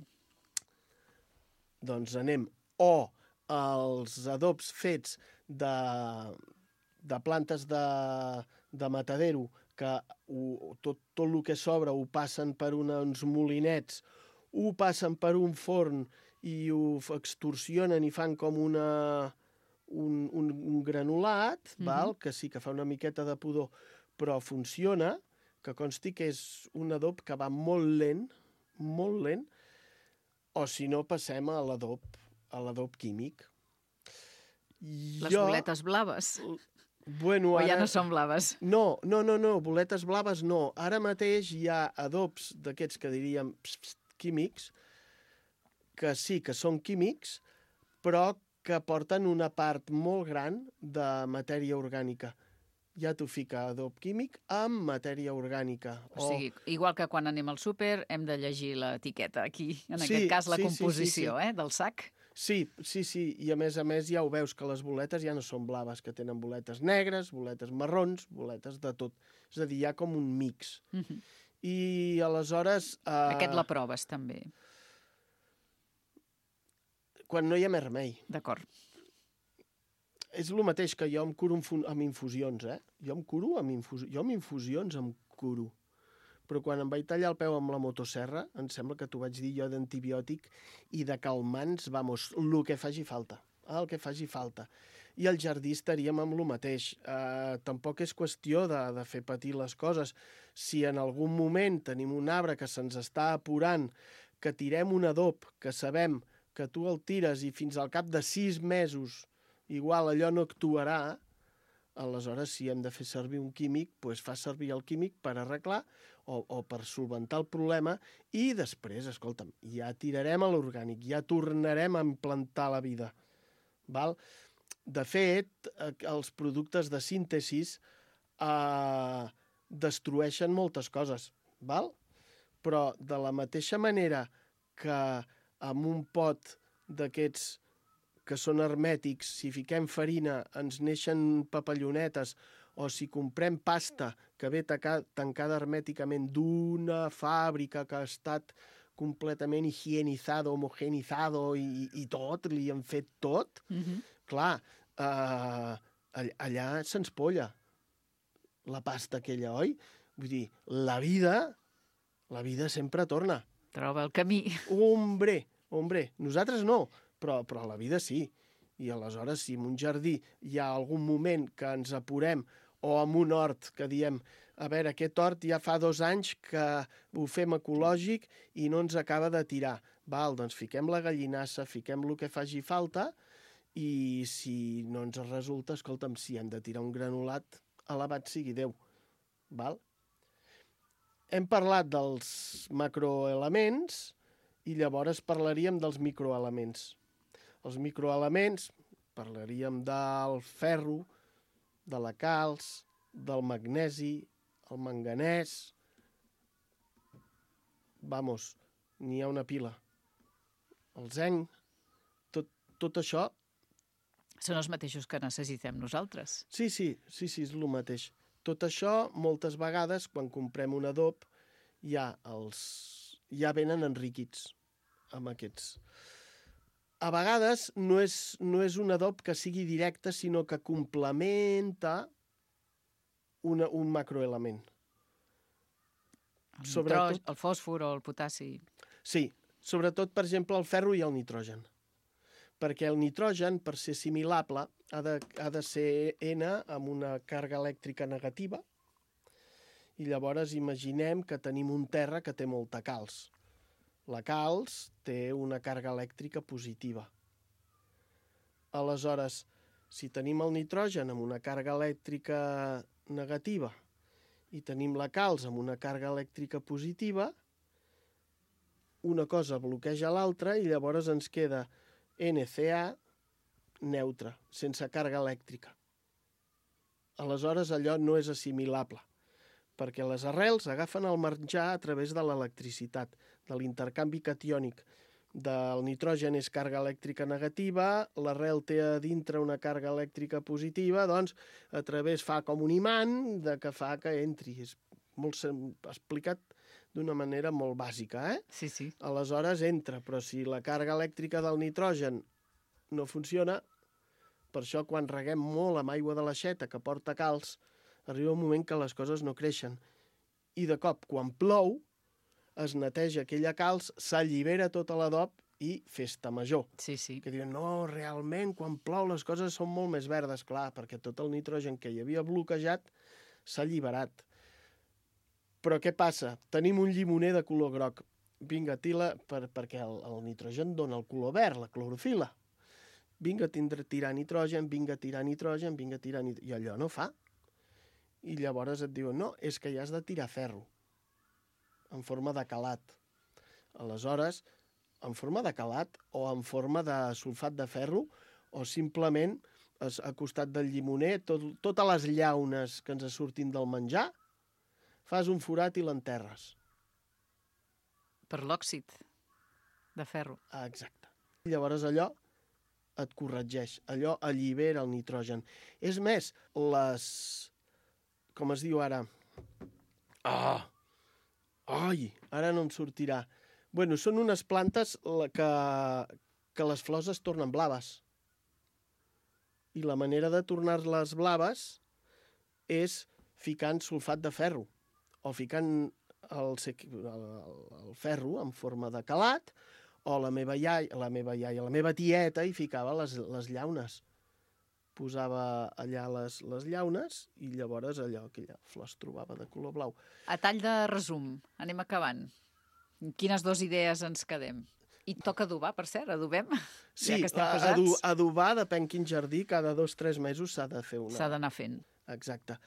Doncs anem o els adobs fets de, de plantes de, de matadero, que ho, tot, tot el que sobra ho passen per una, uns molinets, ho passen per un forn i ho extorsionen i fan com una, un, un, un granulat, mm-hmm. val? Que sí que fa una miqueta de pudor, però funciona, que consti que és un adob que va molt lent, molt lent, o si no passem a l'adob a l'adob químic. Les jo... boletes blaves. Bueno, O ja ara... no són blaves? No, no, no, no, boletes blaves no. Ara mateix hi ha adobs d'aquests que diríem pss, pss, químics, que sí que són químics, però que porten una part molt gran de matèria orgànica. Ja t'ho fica adob químic amb matèria orgànica. O sigui, igual que quan anem al súper hem de llegir l'etiqueta aquí, en Sí, aquest cas la sí, sí, composició sí, sí. eh, del sac. Sí, sí, sí, i a més a més ja ho veus que les boletes ja no són blaves, que tenen boletes negres, boletes marrons, boletes de tot. És a dir, hi ha com un mix. Uh -huh. I aleshores... Eh, Aquest la proves també. Quan no hi ha més remei. D'acord. És el mateix que jo em curo amb, amb infusions, eh? Jo em curo amb infusions. Jo amb infusions em curo. Però quan em vaig tallar el peu amb la motosserra, em sembla que t'ho vaig dir jo d'antibiòtic i de calmants, vamos, el que faci falta. El que faci falta. I al jardí estaríem amb el mateix. Eh, tampoc és qüestió de, de fer patir les coses. Si en algun moment tenim un arbre que se'ns està apurant, que tirem un adob, que sabem que tu el tires i fins al cap de sis mesos igual allò no actuarà, aleshores si hem de fer servir un químic, doncs fa servir el químic per arreglar o, o per solventar el problema i després, escolta'm, ja tirarem a l'orgànic, ja tornarem a implantar la vida. Val? De fet, els productes de síntesis eh, destrueixen moltes coses, val? Però de la mateixa manera que amb un pot d'aquests que són hermètics, si fiquem farina ens neixen papallonetes, o si comprem pasta que ve tancada hermèticament d'una fàbrica que ha estat completament higienitzado, homogenizado i, i tot, li han fet tot, Uh-huh. clar, eh, allà se'ns polla la pasta aquella, oi? Vull dir, la vida, la vida sempre torna. Troba el camí. Hombre, hombre, nosaltres no, però, però la vida sí. I aleshores, si en un jardí hi ha algun moment que ens apurem, o en un hort que diem, a veure, aquest hort ja fa dos anys que ho fem ecològic i no ens acaba de tirar. Val, doncs fiquem la gallinassa, fiquem el que faci falta, i si no ens resulta, escolta'm, si hem de tirar un granulat, alabat sigui Déu. Val? Hem parlat dels macroelements i llavors parlaríem dels microelements. Els microelements, parlaríem del ferro, de la calç, del magnesi, el manganès... Vamos, n'hi ha una pila. El zinc, tot, tot això... Són els mateixos que necessitem nosaltres. Sí, sí, sí, sí, és el mateix. Tot això, moltes vegades, quan comprem un adob, ja, els, ja venen enriquits amb aquests. A vegades no és, no és un adob que sigui directe, sinó que complementa una, un macroelement. El, Sobretot... nitrogen, el fòsfor o el potassi. Sí, sobretot, per exemple, el ferro i el nitrogen. Perquè el nitrogen, per ser assimilable, ha de, ha de ser N amb una càrrega elèctrica negativa, i llavors imaginem que tenim un terra que té molta calç. La calç té una càrrega elèctrica positiva. Aleshores, si tenim el nitrogen amb una càrrega elèctrica negativa i tenim la calç amb una càrrega elèctrica positiva, una cosa bloqueja l'altra i llavors ens queda N C A neutre, sense càrrega elèctrica. Aleshores, allò no és assimilable, perquè les arrels agafen el menjar a través de l'electricitat, de l'intercanvi catiònic. Del nitrogen és càrrega elèctrica negativa, l'arrel té a dintre una càrrega elèctrica positiva, doncs a través fa com un imant de que fa que entri. És molt explicat d'una manera molt bàsica, eh? Sí, sí. Aleshores entra, però si la càrrega elèctrica del nitrogen no funciona, per això quan reguem molt amb aigua de l'aixeta que porta calç, arriba un moment que les coses no creixen. I de cop, quan plou, es neteja aquella calç, s'allibera tota l'adob i festa major. Sí, sí. Que diuen, no, realment, quan plou les coses són molt més verdes. Clar, perquè tot el nitrogen que hi havia bloquejat s'ha alliberat. Però què passa? Tenim un llimoner de color groc. Vinga, tila, per, perquè el, el nitrogen dona el color verd, la clorofila. vinga a tindre, tirar nitrogen, vinga a tirar nitrogen, vinga a tirar nitrogen, i allò no fa. I llavors et diuen, no, és que ja has de tirar ferro, en forma de calat. Aleshores, en forma de calat o en forma de sulfat de ferro, o simplement a costat del llimoner, tot, totes les llaunes que ens surtin del menjar, fas un forat i l'enterres. Per l'òxid de ferro. Ah, exacte. Llavors allò et corregeix, allò allibera el nitrogen. És més, les... com es diu ara? Ah! Ai, ara no em sortirà. Bueno, són unes plantes que, que les flors es tornen blaves. I la manera de tornar-les blaves és ficant sulfat de ferro o ficant el, el, el ferro en forma de calat, o la meva iaia, la meva iaia, la meva tieta hi ficava les, les llaunes. Posava allà les, les llaunes i llavors allò, aquella flor es trobava de color blau. A tall de resum, anem acabant. Quines dues idees ens quedem? I toca adobar, per cert, adobem? Sí, ja adu adobar, depèn quin jardí, cada dos o tres mesos s'ha de fer una. S'ha d'anar fent. Exacte.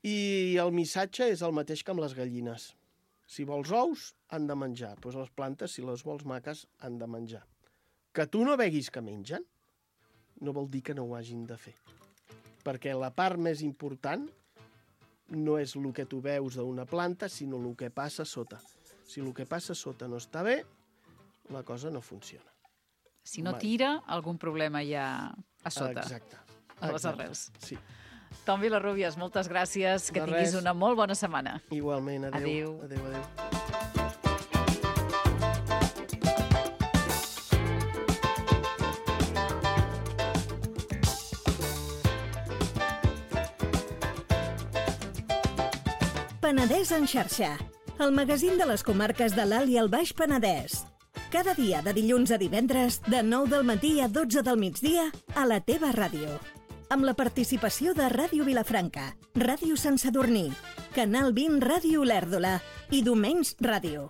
I el missatge és el mateix que amb les gallines. Si vols ous, han de menjar. Doncs les plantes, si les vols maques, han de menjar. Que tu no veguis que mengen, no vol dir que no ho hagin de fer. Perquè la part més important no és el que tu veus d'una planta, sinó el que passa sota. Si el que passa sota no està bé, la cosa no funciona. Si no tira, algun problema hi ha a sota. Exacte. A les arrels. Sí. Tom Vilarrubias, moltes gràcies. Que tinguis una molt bona setmana. Igualment. Adéu. Adéu, adéu. Penedès en xarxa, el magazín de les comarques de l'Alt i el Baix Penedès. Cada dia de dilluns a divendres, de nou del matí a dotze del migdia, a la teva ràdio. Amb la participació de Ràdio Vilafranca, Ràdio Sant Sadurní, Canal vint Ràdio Olèrdola i Domens Ràdio.